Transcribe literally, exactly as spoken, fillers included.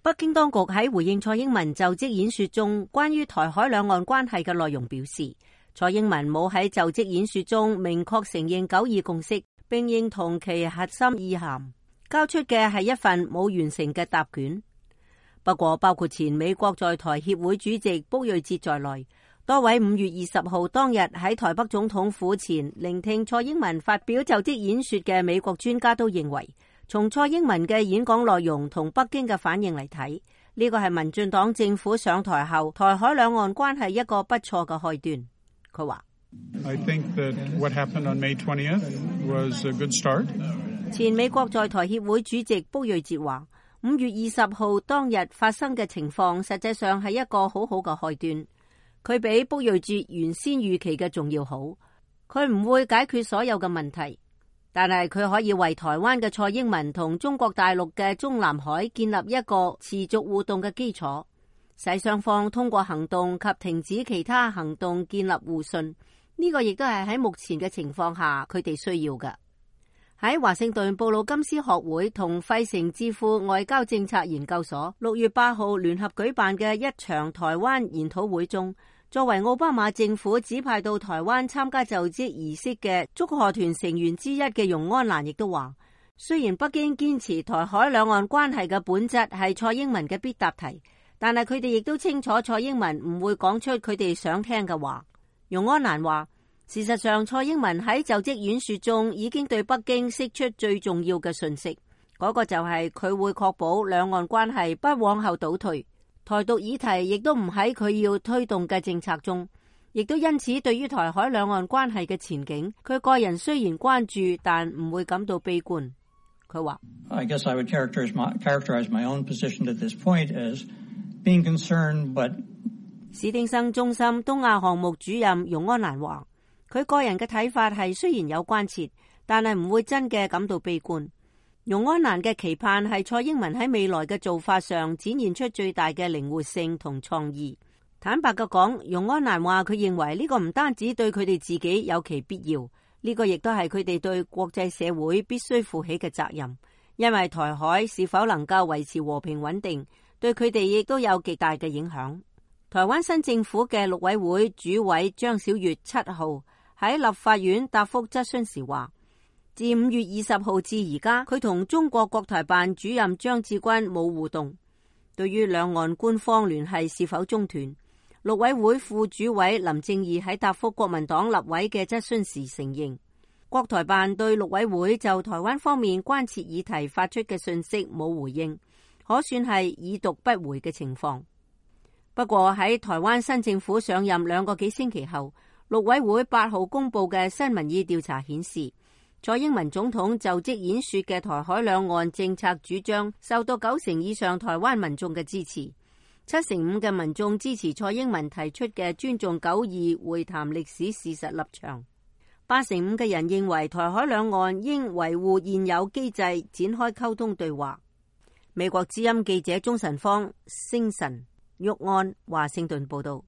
北京當局喺回應蔡英文就職演說中關於台海兩岸關係嘅內容表示，蔡英文冇喺就職演說中明確承認九二共識，並認同其核心意涵，交出嘅係一份冇完成嘅答卷。不過，包括前美國在台協會主席卜瑞哲在內，多位五月二十號當日喺台北總統府前聆聽蔡英文發表就職演說嘅美國專家都認為，從蔡英文嘅演講內容同北京嘅反應嚟睇，呢個係民進黨政府上台後台海兩岸關係一個不錯嘅開端。佢話I think that what happened on May twentieth was a good start. 前美國在台協會主席卜瑞哲話，五月二十號當日發生嘅情況實際上係一個好好嘅開端。佢比卜瑞哲原先預期嘅仲要好。佢唔會解決所有嘅問題，但係佢可以為台灣嘅蔡英文同中國大陸嘅中南海建立一個持續互動嘅基礎，使雙方通過行動及停止其他行動建立互信。呢個亦都係喺目前嘅情況下佢哋需要嘅。喺華盛頓布魯金斯學會同費城智庫外交政策研究所六月八號聯合舉辦嘅一場台灣研討會中，作為奧巴馬政府指派到台灣參加就職儀式嘅祝賀團成員之一嘅容安蘭亦都話，雖然北京堅持台海兩岸關係嘅本質係蔡英文嘅必答題，但係佢哋亦都清楚蔡英文唔會講出佢哋想聽嘅話。容安蘭話，事實上，蔡英文喺就職演說中已經對北京釋出最重要嘅訊息，嗰個就係佢會確保兩岸關係不往後倒退，台獨議題亦都唔喺佢要推動嘅政策中，亦都因此對於台海兩岸關係嘅前景，佢個人雖然關注，但唔會感到悲觀。佢話 I guess I would characterize my, characterize my own position at this point as being concerned, but 史汀生中心東亞項目主任容安蘭話，佢個人嘅睇法係雖然有關切，但係唔會真嘅感到悲觀。容安蘭嘅期盼係蔡英文喺未來嘅做法上展現出最大嘅靈活性同創意。坦白嘅講，容安蘭話佢認為呢個唔單止對佢哋自己有其必要，呢個亦都係佢哋對國際社會必須負起嘅責任，因為台海是否能夠維持和平穩定，對佢哋亦都有極大嘅影響。台灣新政府嘅陸委會主委張曉月七號喺立法院答覆質詢時話，自五月二十號至而家，佢同中國國台辦主任張志軍冇互動。對於兩岸官方聯繫是否中斷，陸委會副主委林正義喺答覆國民黨立委嘅質詢時承認，國台辦對陸委會就台灣方面關切議題發出嘅訊息冇回應，可算係已讀不回嘅情況。不過喺台灣新政府上任兩個幾星期後，陸委會八號公布嘅新民意調查顯示，蔡英文總統就職演說嘅台海兩岸政策主張受到九成以上台灣民眾嘅支持，七成五嘅民眾支持蔡英文提出嘅尊重九二會談歷史事實立場，八成五嘅人認為台海兩岸應維護現有機制，展開溝通對話。美國之音記者鍾晨芳、星辰、玉安華盛頓報道。